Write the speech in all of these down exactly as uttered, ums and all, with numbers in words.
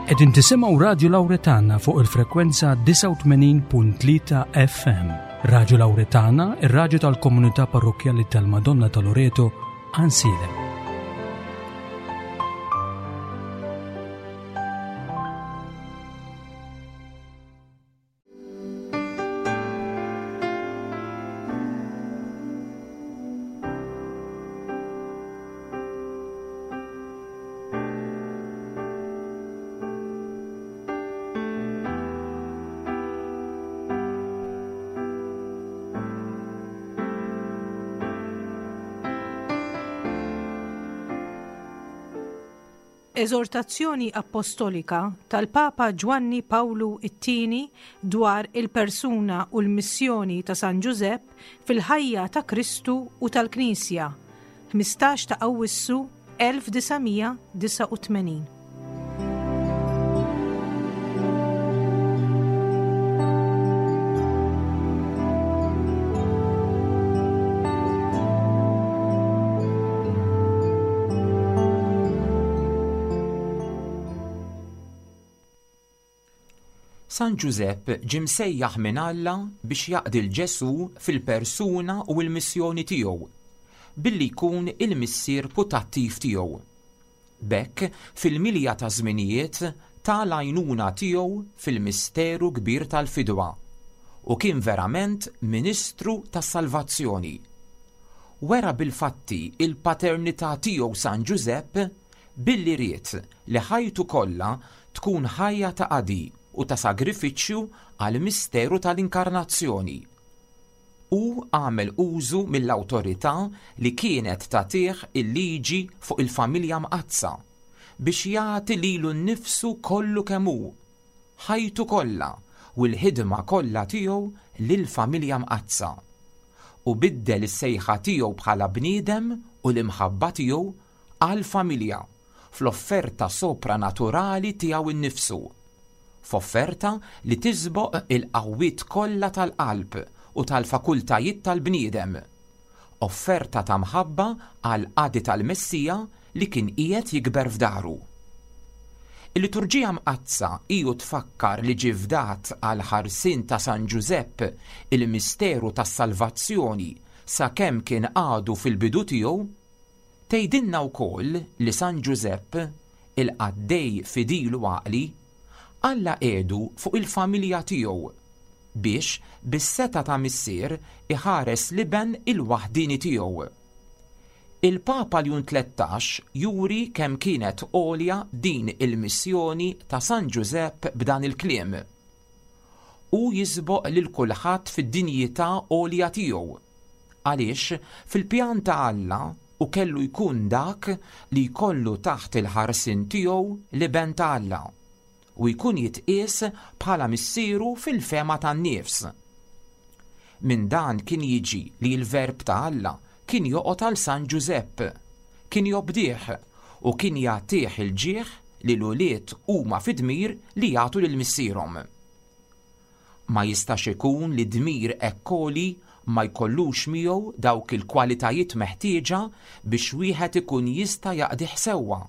Qegħdin tisimgħu Radju Lawretana fuq il-frekwenza disgħa u tmenin punt tlieta F M. Radju Lawretana, ir-radju tal-Komunità Parrokkjali tal-Madonna ta' Loreto, Għajnsielem. Eżortazzjoni Apostolika tal-Papa Ġwanni Pawlu it-Tieni dwar il-persuna u l-missjoni ta' San Ġużepp fil-ħajja ta' Kristu u tal-Knisja, ħmistax ta' Awwissu elf disa' mija disgħa u tmenin. San Ġużepp ġie msejjaħ minn Alla biex jaqdi 'l Ġesù fil-persuna u l-missjoni tiegħu, billi jkun il-missier putattiv tiegħu. B'hekk, fil-milja ta' żminijiet ta l-għajnuna tiegħu fil-misteru kbir tal-fidwa u kien verament ministru tas-salvazzjoni. Wera bil-fatti il-paternità tiegħu San Ġużepp billi ried li ħajtu kollha tkun ħajja ta' qadi u ta' sagrifiċċju għal misteru tal-inkarnazzjoni. U għamel użu mill-awtorità li kienet tagħtih il-liġi fuq il-familja mqaddsa biex jagħti lilu nnifsu kollu kemm hu, ħajtu kollha u l-ħidma kollha tiegħu lill-familja mqaddsa. U biddel is-sejħa tiegħu bħala bniedem u l-imħabba tiegħu għall-familja fl-offerta sopranaturali tiegħu nnifsu, f'offerta li tisboq il-qawwiet kollha tal-qalb u tal-fakultajiet tal-bniedem. Offerta ta' mħabba għal qadi tal-Messija li kien qiegħed jikber f'daru. Il-liturġija mqaddsa iju tfakkar li ġie fdat għal ħarsien ta' San Ġużepp il-misteru tas-salvazzjoni sakemm kien għadu fil-bidu tiegħu, tgħidilna wkoll li San Ġużepp, il-qaddej fidil u għaqli, Alla qiegħdu fuq il-familja tiegħu biex bis-setgħa ta' missier iħares l-iben il-waħdini tiegħu. Il-Papa Ljun Tlettax juri kemm kienet għolja din il-missjoni ta' San Ġużepp b'dan il-kliem. U jisboq lil kulħadd fid-dinjità għolja tiegħu. Għaliex fil-pjan ta' Alla u kellu jkun dak li jkollu taħt il-ħarsien tiegħu l-iben ta' Alla u jkun jitqies bħala missieru fil-fehma tan-nifs. Minn dan kien jiġi li l-verb ta' Alla kien joqgħod għal San Ġużepp, kien jobdih u kien jagħtih il-ġieħ li l-ulied huma fid-dmir li jagħtu lil missierhom. Ma jistax ikun li dmir hekk għoli ma jkollux miegħu dawk il-kwalitajiet meħtieġa biex wieħed ikun jista' jaqdih sewwa.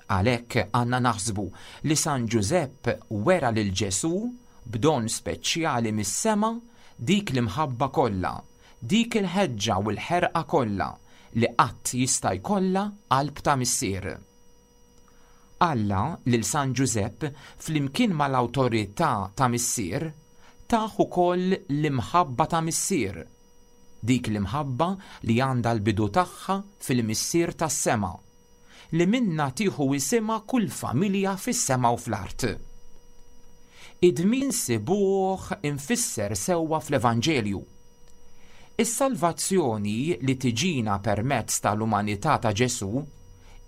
Għalhekk għandna naħsbu li San Ġużepp wera lil Ġesù b'don speċjali mis-sema dik l-imħabba kollha, dik il-ħeġġa u l-ħerqa kollha li qatt jista' jkollha qalb ta' missier. Alla lil San Ġużepp flimkien mal-awtorità ta' missier tah ukoll l-imħabba ta' missier. Dik l-imħabba li għandha l-bidu tagħha fil-missier tas-sema, li minna tieħu isimha kull familja fis-sema u fl-art. Id-dmir insibuh imfisser sewwa fl-Evanġelju. Is-salvazzjoni li tiġina permezz tal-umanità ta' Ġesù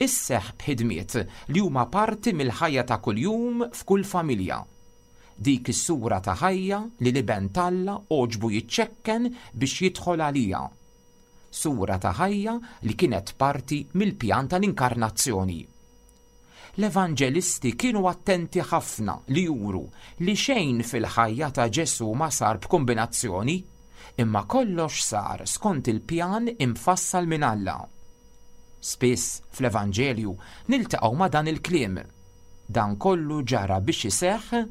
isseħ b'ħidmiet li huma parti mill-ħajja ta' kuljum f'kull familja. Dik is-sura ta' ħajja li l-iben t'Alla għoġbu jiċċekken biex jidħol għalija. Sura ta' ħajja li kienet parti mill-pjan tal-inkarnazzjoni. L-evanġelisti kienu attenti ħafna li juru li xejn fil-ħajja ta' Ġesù ma sar b'kombinazzjoni, imma kollox sar skont il-pjan imfassal minn Alla. Spiss fl-Evanġelju niltaqgħu ma' dan il-kliem. Dan kollu ġara biex iseħħ.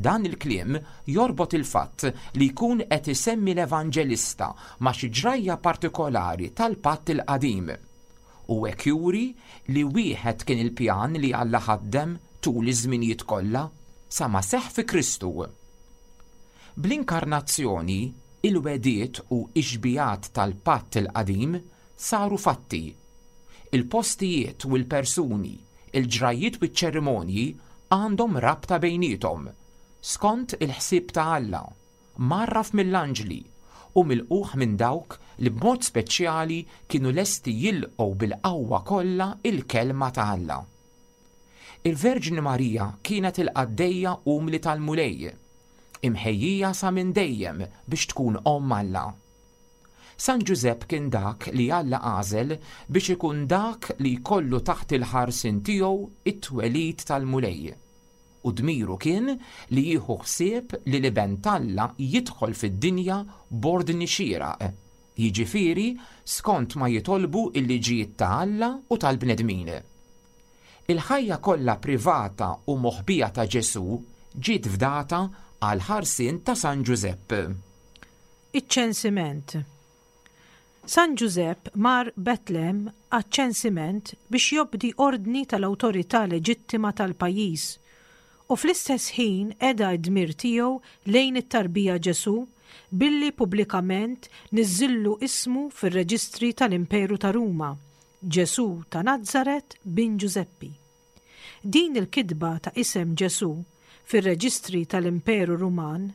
Dan il-kliem jorbot il-fatt li jkun qed isemmi l-Evanġelista ma' xi ġrajja partikolari tal-Patt il-Qadim. U hekk juri li wieħed kien il-pjan li Alla ħaddem tul iż-żminijiet kollha sa ma seħħ fi Kristu. Bl-inkarnazzjoni, il-wegħdiet u x-xbihat tal-Patt il-Qadim saru fatti. Il-postijiet u l-persuni, il-ġrajjiet u ċ-ċerimonji għandhom rabta bejniethom, skont il-ħsieb ta' Alla, mgħarraf mill-anġli u milqugħ minn dawk li b'mod speċjali kienu lesti jilqgħu bil-qawwa kollha il-kelma ta' Alla. Il-Verġni Marija kienet il-qaddejja umli tal-Mulej, imħejjija sa minn dejjem biex tkun omm Alla. San Ġużepp kien dak li Alla għażel biex ikun dak li jkollu taħt il-ħarsien tiegħu it-twelid tal-Mulej. U dmiru kien li jieħu ħsieb li l-iben t'Alla jidħol fid-dinja b'ordni xieraq, jiġifieri skont ma jitolbu l-liġijiet ta' Alla u tal-bnedmin. Il-ħajja kollha privata u moħbija ta' Ġesù ġiet fdata għal ħarsien ta' San Ġużepp. Iċ-ċensiment. San Ġużepp mar Betlem għaċ-ċensiment biex jobdi ordni tal-awtorità leġittima tal-pajjiż u fl-istess ħin qeda d-dmir tiegħu lejn it-tarbija Ġesù billi pubblikament niżżillu ismu fir-reġistri tal-Imperu ta' Ruma, Ġesù ta' Nazzaret bin Ġużeppi. Din il-kitba ta' isem Ġesù fir-reġistri tal-Imperu Ruman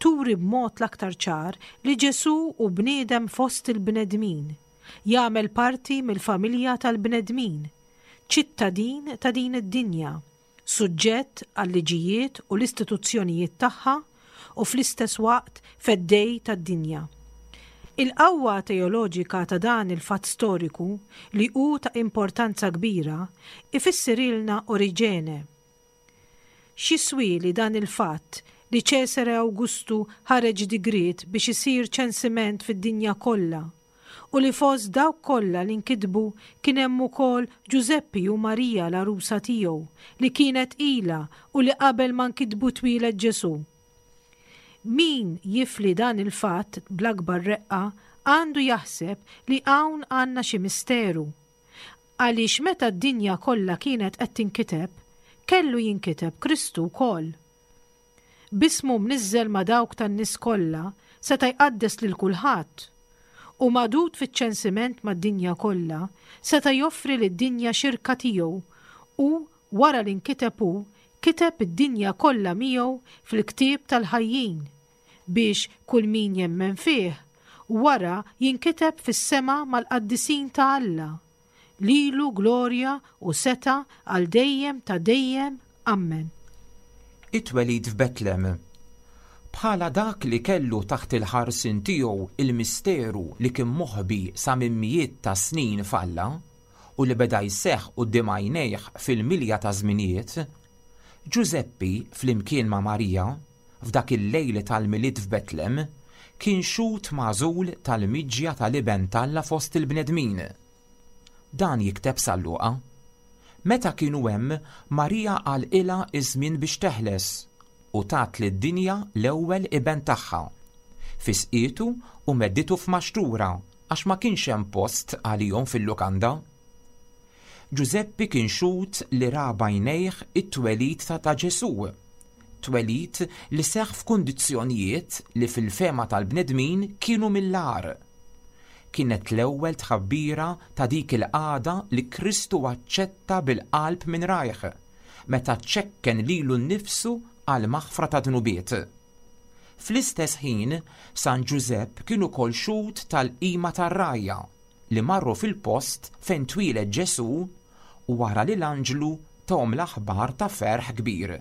turi b'mod l-aktar ċar li Ġesù hu bniedem fost il-bnedmin, jagħmel parti mill-familja tal-bnedmin, ċittadin ta' din id-dinja, suġġett għal-liġijiet u l-istituzzjonijiet tagħha u fl-istess waqt feddej tad-dinja. Il-qawwa teoloġika ta' dan il-fatt storiku li hu ta' importanza kbira ifissirilna Oriġene. X'jiswieli dan il-fatt li Ċesare Awgustu ħareġ digriet biex isir ċensiment fid-dinja kollha u li fost dawk kollha li nkitbu kien hemm ukoll Ġużeppi u Marija l-għarusa tiegħu li kienet tqila u li qabel ma nkitbu twieled Ġesù. Min jifli dan il-fatt bl-akbar reqqa għandu jaħseb li hawn għandna xi misteru. Għaliex meta d-dinja kollha kienet qed tinkiteb, kellu jinkiteb Kristu wkoll. B'ismu mniżżel ma' dawk tan-nies kollha seta' jqaddes lil kulħadd u magħdud fiċ-ċensiment mad-dinja kollha seta' joffri lid-dinja xirka tiegħu u wara li nkiteb hu kiteb id-dinja kollha miegħu fil-ktieb tal-ħajjin biex kull min jemmen fih wara jinkiteb fis-sema mal-qaddisin ta' Alla. Lilu glorja u setgħa għal dejjem ta' dejjem. Amen. It-twelid f'Betlem. Bħala dak li kellu taħt il-ħarsien tiegħu il-misteru li kien moħbi sa minn mijiet ta' snin f'Alla u li beda jseħħ quddiem għajnejh fil-milja ta' żminijiet, Ġużeppi flimkien ma' Marija f'dak il-lejl tal-Milied f'Betlem kien xhud magħżul tal-miġja tal-iben t'Alla fost il-bnedmin. Dan jikteb San Luqa. Meta kienu hemm, Marija għalqilha iż-żmien biex teħles u tat lid-dinja l-ewwel iben tagħha. Fisqietu u medditu f'maxtura għax ma kienx hemm post għalihom fil-lukanda. Ġużeppi kien xhud li ra b'għajnejh it-twelid ta' Ġesù, twelid li seħħ f'kundizzjonijiet li fil-fehma tal-bnedmin kienu mill-agħar. Kienet l-ewwel tħabbira ta' dik il-qagħda li Kristu aċċetta bil-qalb minn rajh, meta ċekken lilu nnifsu għal maħfra ta' dnubiet. Fl-istess ħin, San Ġużepp kien ukoll xhud tal-qima tar-rgħajja li marru fil-post fejn twieled Ġesù wara li l-anġlu tahom l-aħbar ta' ferħ kbir.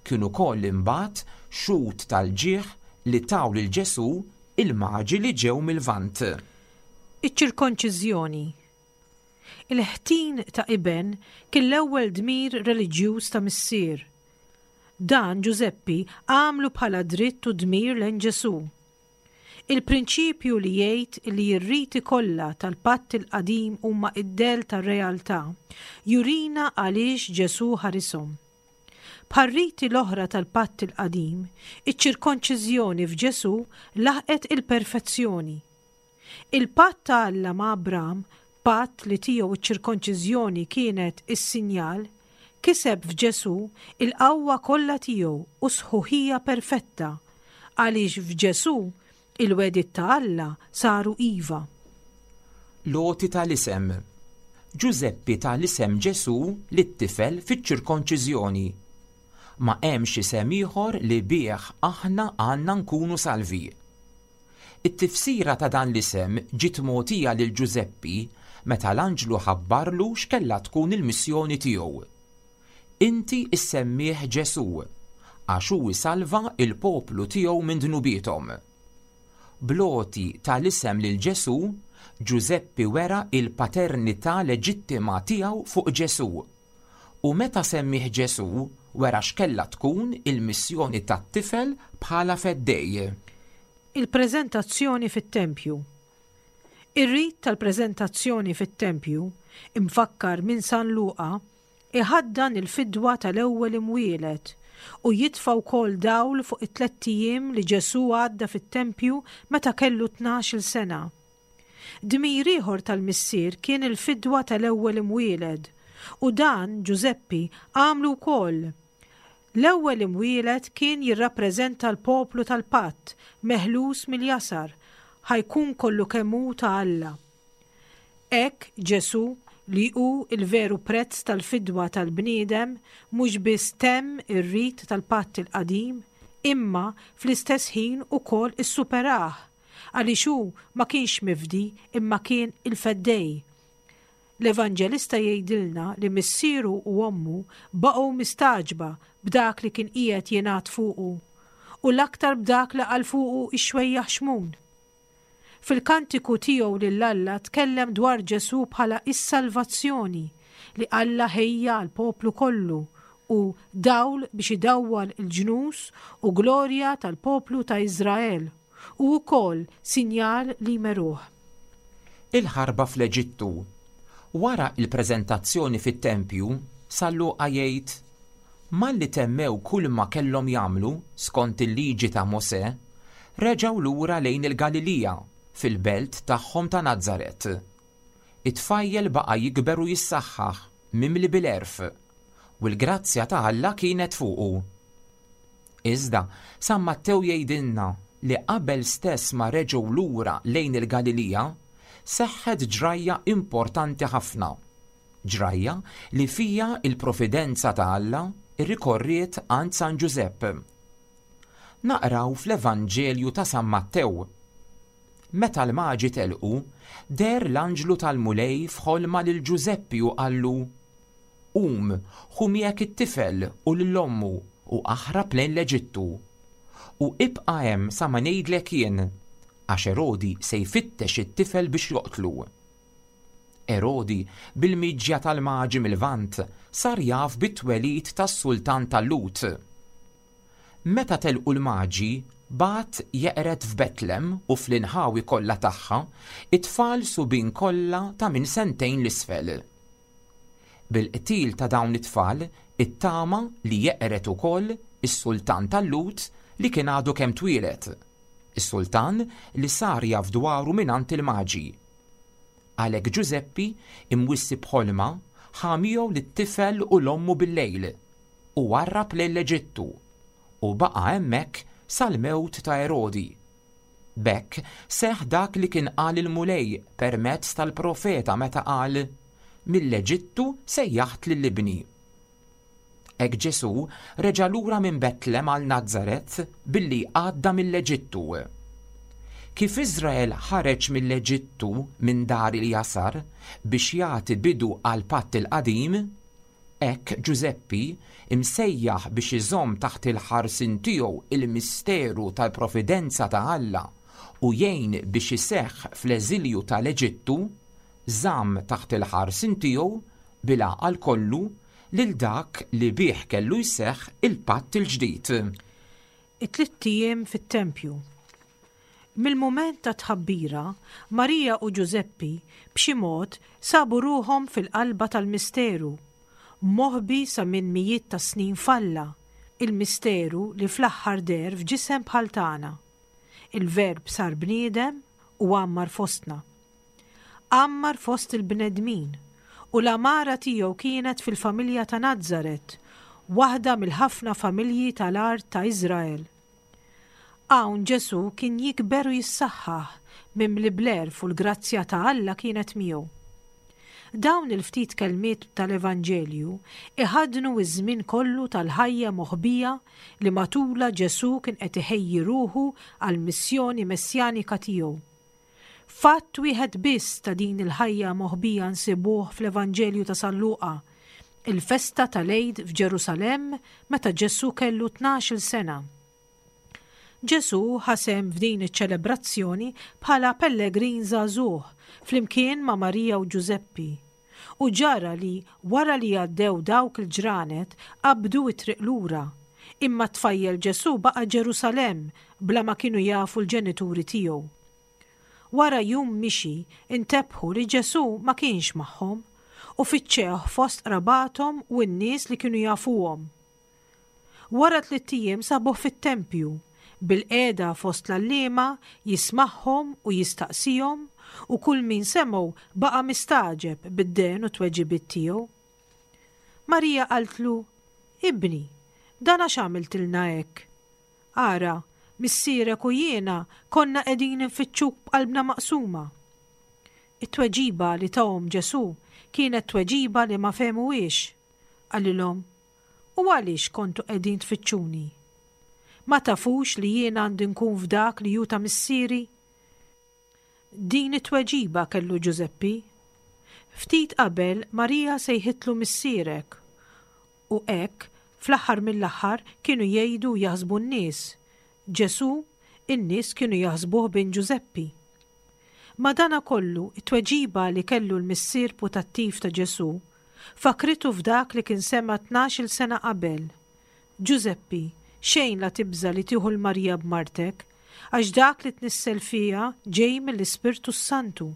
Kien ukoll imbagħad xhud tal-ġieħ li taw lil Ġesù il-maġi li ġew mill-Lvant. Iċ-ċirkonċiżjoni. Il-ħtin ta' iben kien l-ewwel dmir reliġjuż ta' missier. Dan Ġużeppi għamlu bħala dritt u dmir lejn Ġesù. Il-prinċipju li jgħid li r-riti kollha tal-Patt il-Qadim huma id-dell tar-realtà jurina għaliex Ġesù ħarishom. Bħar-riti l-oħra tal-Patt il-Qadim, iċ-ċirkonċiżjoni f'Ġesù laħqet il-perfezzjoni. Il-patt ta' Alla ma' Abram, patt li tiegħu ċ-ċirkonċiżjoni kienet is-sinjal, kiseb f'Ġesù il-qawwa kollha tiegħu u sħuħija perfetta, għaliex f'Ġesù il-wegħdiet ta' Alla saru iva. L-għoti tal-isem. Ġużeppi ta l-isem Ġesù lit-tifel fiċ-ċirkonċiżjoni. Ma hemmx isem ieħor li bih aħna għandna nkunu salvi. It-tifsira ta' dan l-isem ġiet mogħtija lil Ġużeppi meta l-anġlu ħabbarlu x'kellha tkun il-missjoni tiegħu. Inti issemmih Ġesù, għax hu jsalva il-poplu tiegħu minn dnubiethom. Bl-għoti tal-isem lil Ġesù, Ġużeppi wera il-paternità leġittima tiegħu fuq Ġesù. U meta semmih Ġesù, wera x'kellha tkun il-missjoni tat-tifel bħala feddej. Il-preżentazzjoni fit-tempju. Ir-rit tal-preżentazzjoni fit-tempju, imfakkar minn San Luqa, iħaddan il-fidwa tal-ewwel imwieled u jitfa' wkoll dawl fuq it-tlett ijiem li Ġesù għadda fit-tempju meta kellu tnax-il sena. Dmir ieħor tal-missier kien il-fidwa tal-ewwel imwieled u dan Ġużeppi għamlu wkoll. L-ewwel imwieled kien jirrappreżenta l-poplu tal-patt meħlus mill-jasar, ħa jkun kollu kemm hu ta' Alla. Hekk Ġesù, li hu il-veru prezz tal-fidwa tal-bniedem, mhux biss temm ir-rit tal-patt il-qadim, imma fl-istess ħin ukoll issuperah, għaliex hu ma kienx mifdi imma kien il-feddej. L-Evanġelista jgħidilna li missieru u ommu baqgħu mistagħġba b'dak li kien qiegħed jingħad fuqu, u l-aktar b'dak li qal fuqu ix-xwejjaħ Xmun. Fil-kantiku tiegħu lil Alla tkellem dwar Ġesù bħala is-salvazzjoni li Alla ħejja għal poplu kollu u dawl biex idawwal il-ġnus u glorja tal-poplu ta' Iżrael u wkoll sinjal li jmeruh. Il-ħarba fl-Eġittu. Wara il-preżentazzjoni fit-tempju, San Luqa jgħid, malli temmew kull ma kellhom jagħmlu skont il-liġi ta' Mosè, reġgħu lura lejn il-Galilija, fil-belt tagħhom ta' Nazaret. It-tfajjel baqa' jikber u jissaħħaħ, mimli bil-għerf, u l-grazzja ta' Alla kienet fuqu. Iżda, San Mattew jgħidilna li qabel stess ma reġgħu lura lejn il-Galilija, seħħet ġrajja importanti ħafna. Ġrajja li fija il-providenza ta' Alla irrikorriet għand San Ġużepp. Naqraw fl-Evanġelju ta' San Mattew. Meta l-maġi telqu, deher l-anġlu tal-Mulej f'ħolma lil Ġużeppi u qallu: Qum, ħu miegħek it-tifel u lil ommu u aħrab lejn l-Eġittu. U ibqa' hemm sa ma ngħidlek jien, għax Erodi se jfittex it-tifel biex joqtlu. Erodi, bil-miġja tal-maġi mill-Lvant, sar jaf bit-twelid tas-sultan tal-Lhud. Meta telqu l-maġi, bagħat jeqred f'Betlem u fl-inħawi kollha tagħha it-tfal subien kollha ta' minn sentejn l-isfel. Bil-qtil ta' dawn it-tfal ittama li jeqred ukoll is-sultan tal-Lhud li kien għadu kemm twieled, is-sultan li sar jaf dwaru mingħand il-maġi. Għalhekk Ġużeppi, imwissi b'ħolma, ħa miegħu lit-tifel u l-ommu bil-lejl u warrab lejn l-Eġittu u baqa' hemmhekk sal-mewt ta' Erodi. B'hekk seħħ dak li kien qal il-Mulej permezz tal-profeta meta qal: Mill-Eġittu sejjaħt lil ibni. Hekk Ġesù reġa' lura minn Betlem għal Nazaret billi għadda mill-Eġittu. Kif Iżrael ħareġ mill-Eġittu minn dar il-jasar biex jagħti bidu għal patt il-qadim, hekk Ġużeppi, imsejjaħ biex iżomm taħt il-ħarsien tiegħu il-misteru tal-providenza ta' Alla u jgħin biex iseħħ fl-eżilju tal-Eġittu, żamm taħt il-ħarsien tiegħu bil-għaqal kollu lil dak li bih kellu jseħħ il-patt il-ġdid. It-tlitt ijiem fit-tempju. Mill-mument tat-tħabbira, Marija u Ġużeppi b'xi mod sabu ruħhom fil-qalba tal-misteru, moħbi sa minn mijiet ta' snin f'Alla, il-misteru li fl-aħħar deher f'ġisem bħal tagħna. Il-Verb sar bniedem u għammar fostna. Għammar fost il-bnedmin, u l-għamara tiegħu kienet fil-familja ta' Nazaret, waħda mill-ħafna familji tal-art ta' Iżrael. Hawn Ġesù kien jikber u jissaħħaħ, mimli bl-għerf u l-grazzja ta' Alla kienet miegħu. Dawn il-ftit kelmiet tal-Evanġelju iħaddnu ż-żmien kollu tal-ħajja moħbija li matulha Ġesù kien qed iħejji ruħu għall-missjoni messjanika tiegħu. Fatt wieħed biss ta' din il-ħajja moħbija nsibuh fl-Evanġelju ta' San Luqa, il-festa tal-Għid f'Ġerusalemm meta Ġesù kellu tnax-il sena. Ġesù ħa sehem f'din iċ-ċelebrazzjoni bħala pellegrin żagħżugħ flimkien ma' Marija u Ġużeppi. U ġara li wara li għaddew dawk il-ġranet qabdu t-triq lura, imma t-tfajjel Ġesù baqa' Ġerusalemm bla ma kienu jafu l-ġenituri tiegħu. Wara jum mixi intebħu li Ġesù ma kienx magħhom u fittxewh fost qrabathom u n-nies li kienu jafuhom. Wara tlitt ijiem sabuh fit-tempju, bilqiegħda fost l-għalliema jismagħhom u jistaqsihom, u kull min semgħu baqa' mistagħġeb bid-dehen u t-tweġibiet tiegħu. Marija qaltlu, Ibni, dan għax għamiltilna hekk? Ara, missierek u jiena konna qegħdin infittxuk b'qalbna maqsuma. It-tweġiba li tahom Ġesù kienet tweġiba li ma fehmuhiex. Qalilhom, U għaliex kontu qegħdin tfittxuni? Ma tafux li jiena għandi nkun f'dak li hu ta' missieri? Din it-tweġiba kellu Ġużeppi. Ftit qabel Marija sejħitlu missierek. U hekk, fl-aħħar mill-aħħar kienu jgħidu u jaħsbu n-nies. Ġesù, in-nies kienu jaħsbuh bin Ġużeppi. Madanakollu, it-tweġiba li kellu l-missier putattiv ta' Ġesù fakritu f'dak li kien sema' tnax-il sena qabel. Ġużeppi, xejn la tibża' li tieħu 'l Marija b'martek, għax dak li tnissel fiha ġej mill-Ispirtu s-Santu.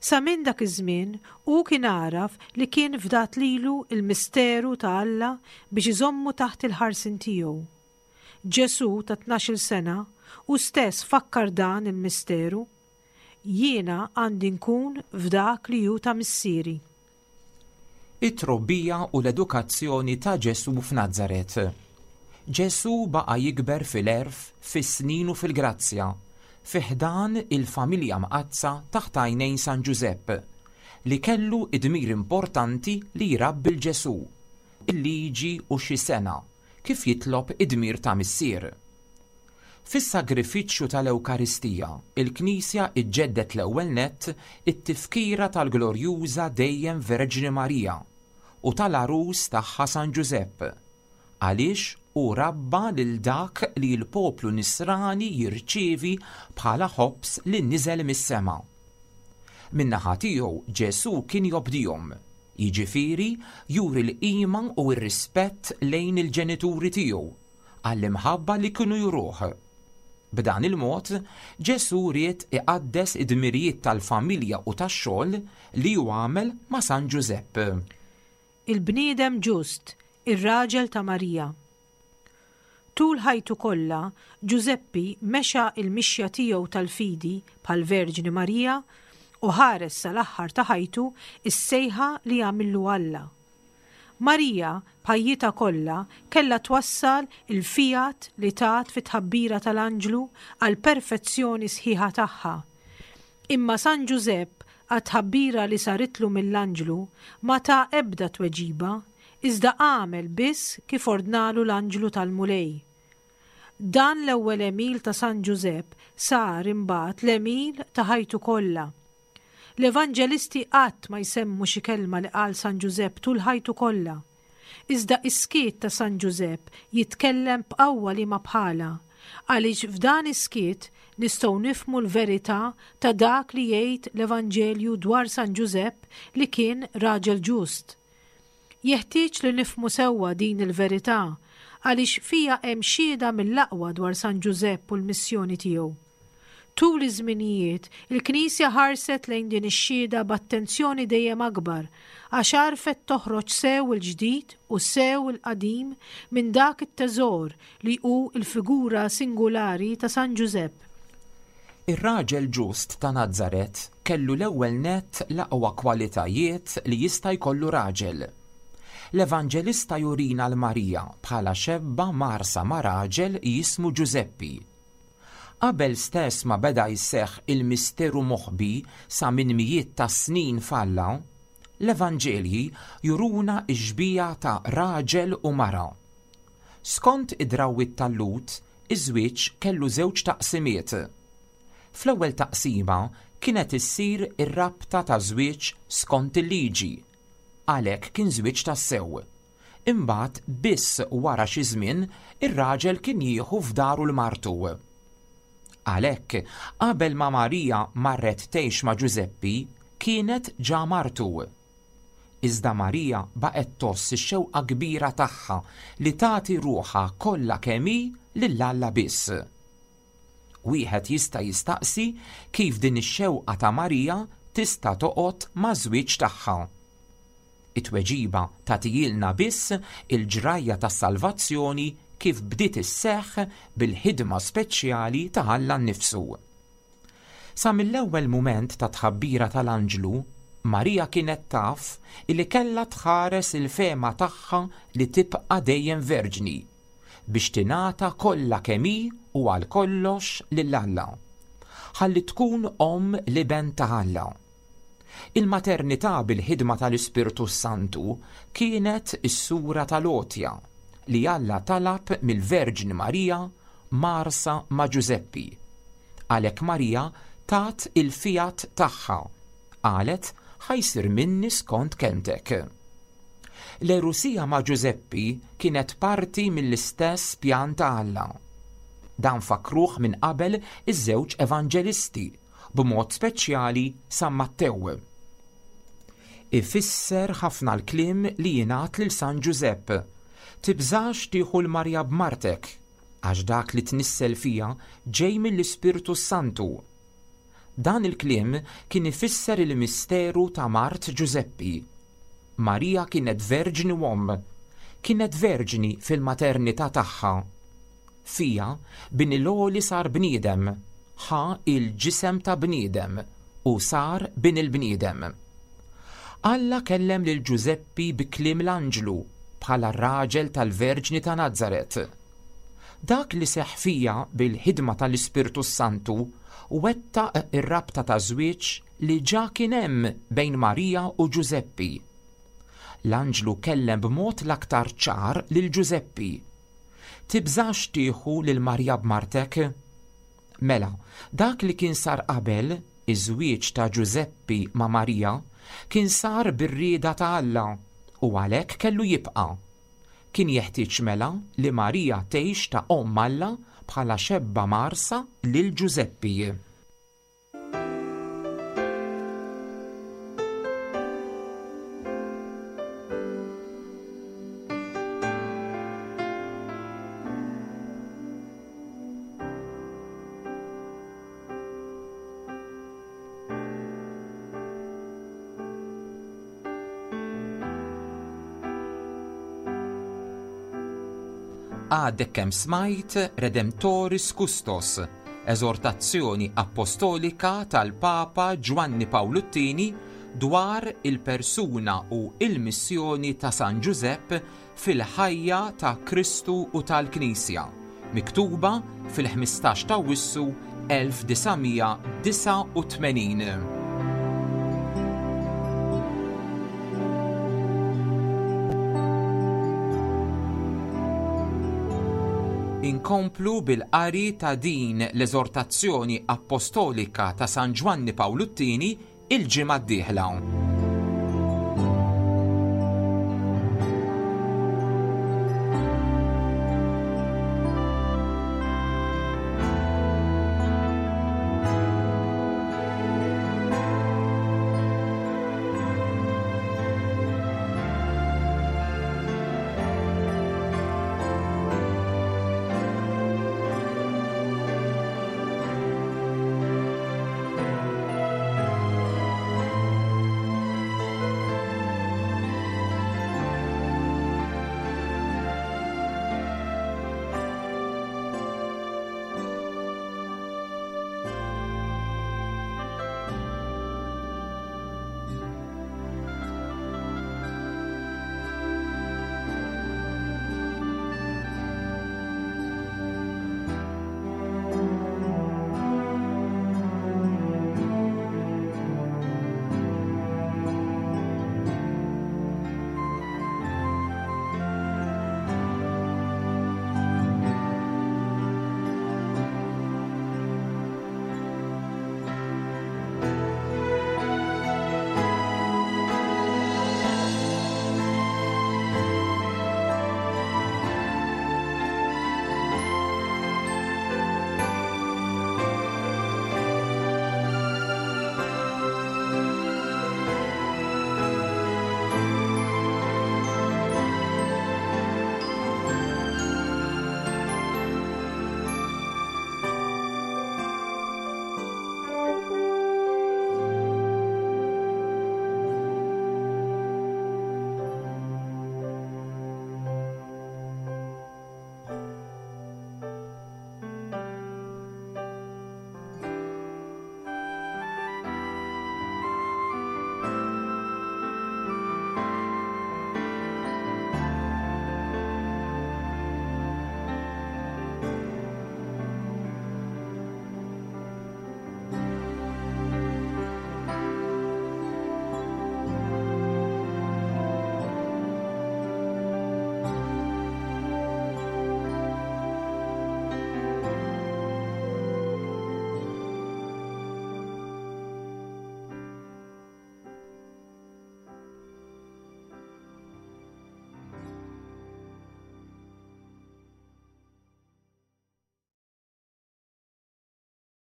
Sa minn dak iż-żmien hu kien għaraf li kien fdat lilu l-misteru ta' Alla biex iżommu taħt il-ħarsien tiegħu. Ġesù ta' tnax-il sena hu stess fakkar dan il-misteru. Jiena għandi nkun f'dak li hu ta' missieri. It-trobbija u l-edukazzjoni ta' Ġesù f'Nazaret. Ġesù baqa' jikber fil-għerf, fis-snin u fil-grazzja, fi ħdan il-familja mqaddsa taħt għajnejn San Ġużepp, li kellu id-dmir importanti li jrabbi 'l Ġesù, il-liġi u xi sena, kif jitlob id-dmir ta' missier. Fis-sagrifiċċju tal-Ewkaristija, il-Knisja iġġeddet l-ewwel nett it-tifkira tal-glorjuża dejjem Verġni Marija u tal-għarus tagħha San Ġużepp, għaliex hu rabba lil dak li l-poplu nisrani jirċievi bħala ħobż li niżel mis-sema. Min-naħa tiegħu Ġesù kien jobdihom, jiġifieri juri l-qima u r-rispett lejn il-ġenituri tiegħu għall-imħabba li kienu juruh. B'dan il-mod, Ġesù ried iqaddes id-dmirijiet tal-familja u tax-xogħol li hu għamel ma' San Ġużepp. Il-bniedem ġust, ir-raġel ta' Marija. Tul ħajtu kollha, Ġużeppi mexa il-mixja tiegħu tal-fidi bħall-Verġni Marija u ħares sal-aħħar ta' ħajtu is-sejħa li għamillu Alla. Marija, b'ħajjitha kollha, kellha twassal il-fiat li tat fit-tħabbira tal-anġlu għall-perfezzjoni sħiħa tagħha. Imma San Ġużepp, għat-tħabbira li saritlu mill-anġlu, ma ta ebda tweġiba, iżda għamel biss kif ordnalu l-anġlu tal-Mulej. Dan l-ewwel għemil ta' San Ġużepp sar imbagħad l-għemil ta' ħajtu kollha. L-Evanġelisti qatt ma jsemmu xi kelma li qal San Ġużepp tul ħajtu kollha. Iżda is-skiet ta' San Ġużepp jitkellem b'qawwa li ma bħala, għaliex f'dan is-skiet nistgħu nifhmu l-verità ta' dak li jgħid l-Evanġelju dwar San Ġużepp li kien raġel ġust. Jeħtieġ li nifhmu sewwa din il-verità għaliex fija hemm xhieda mill-aqwa dwar San Ġużepp u l-missjoni tiegħu. Tul iż-żminijiet, il-Knisja ħarset lejn din ix-xhieda b'attenzjoni dejjem akbar għax għarfet toħroġ sew il-ġdid u sew il-qadim minn dak it-teżor li hu l-figura singulari ta' San Ġużepp. Ir-raġel ġust ta' Nazaret kellu l-ewwel nett l-aqwa kwalitajiet li jista' jkollu raġel. L-Evanġelista jurina l-Marija bħala xebba marsa ma' raġel jismu Ġużeppi. Qabel stess ma beda jseħħ il-misteru moħbi sa minn mijiet ta' snin f'Alla, l-Evanġelji juruna x-xbieha ta' raġel u mara. Skont id-drawwiet tal-Lhud, iż-żwieġ kellu żewġ taqsimiet. Fl-ewwel taqsima kienet issir ir-rabta ta' żwieġ skont il-liġi, għalhekk kien żwieġ tassew. Imbagħad biss wara xi żmien ir-raġel kien jieħu f'daru l-martu. Għalhekk, qabel ma Marija marret tgħix ma' Ġużeppi, kienet ġa martu. Iżda Marija baqgħet tgħożż ix-xewqa kbira tagħha li tagħti ruħha kollha kemm hi lil Alla biss. Wieħed jista' jistaqsi kif din ix-xewqa ta' Marija tista' toqgħod maż-żwieġ tagħha. It-tweġiba tagħtihilna biss il-ġrajja tas-salvazzjoni kif bdiet isseħħ bil-ħidma speċjali ta' Alla nnifsu. Sa mill-ewwel mument ta' tħabbira tal-anġlu, Marija kienet taf li kellha tħares il-fema tagħha li tibqa' dejjem verġni biex tingħata kollha kemm hi u għal kollox lil Alla, ħalli tkun omm l-iben ta' Alla. Il-maternità bil-ħidma tal-Ispirtu Santu kienet is-sura tal-għotja li Alla talab mill-Verġni Marija marsa ma' Ġużeppi. Għalhekk Marija tat il-fiat tagħha, qalet ħa jsir minni skont kelmtek. L-erusija ma' Ġużeppi kienet parti mill-istess pjan ta' Alla. Dan fakruh minn qabel iż-żewġ evanġelisti, b'mod speċjali San Mattew. Ifisser ħafna l-kliem li jingħad lil San Ġużepp: tibżax tieħu l-Marja b'martek, għax dak li tnissel fija ġej mill-Ispirtu Santu. Dan il-kliem kien ifisser il-misteru ta' mart Ġużeppi. Marija kienet verġni u omm, kienet verġni fil-maternità tagħha. Fija bin il-għoli sar bniedem, ħa il-ġisem ta' bniedem u sar bin il-bniedem. Alla kellem lil Ġużeppi bi kliem l-anġlu bħala r-raġel tal-Verġni ta' Nazaret. Dak li seħħ fija bil-ħidma tal-Ispirtu Santu wettaq ir-rabta ta' żwieġ li ġa kien hemm bejn Marija u Ġużeppi. L-anġlu kellem b'mod l-aktar ċar lil Ġużeppi: tibżax tieħu lil Marija b'martek. Mela, dak li kien sar qabel, iż-żwieġ ta' Ġużeppi ma' Marija, kien sar bir-rieda ta' Alla u għalhekk kellu jibqa'. Kien jeħtieġ mela li Marija tgħix ta' omm Alla bħala xebba marsa lil Ġużeppi. Għadek kemm smajt Redemptoris Custos, eżortazzjoni apostolika tal-Papa Ġwanni Pawlu t-Tieni dwar il-persuna u il-missjoni ta' San Ġużepp fil-ħajja ta' Kristu u tal-Knisja, miktuba fil-ħmistax ta' Awwissu elf disa' mija disgħa u tmenin. Inkomplu bil-qari ta' din l-eżortazzjoni apostolika ta' San Ġwanni Pawlu t-Tieni il-ġimgħa d-dieħla.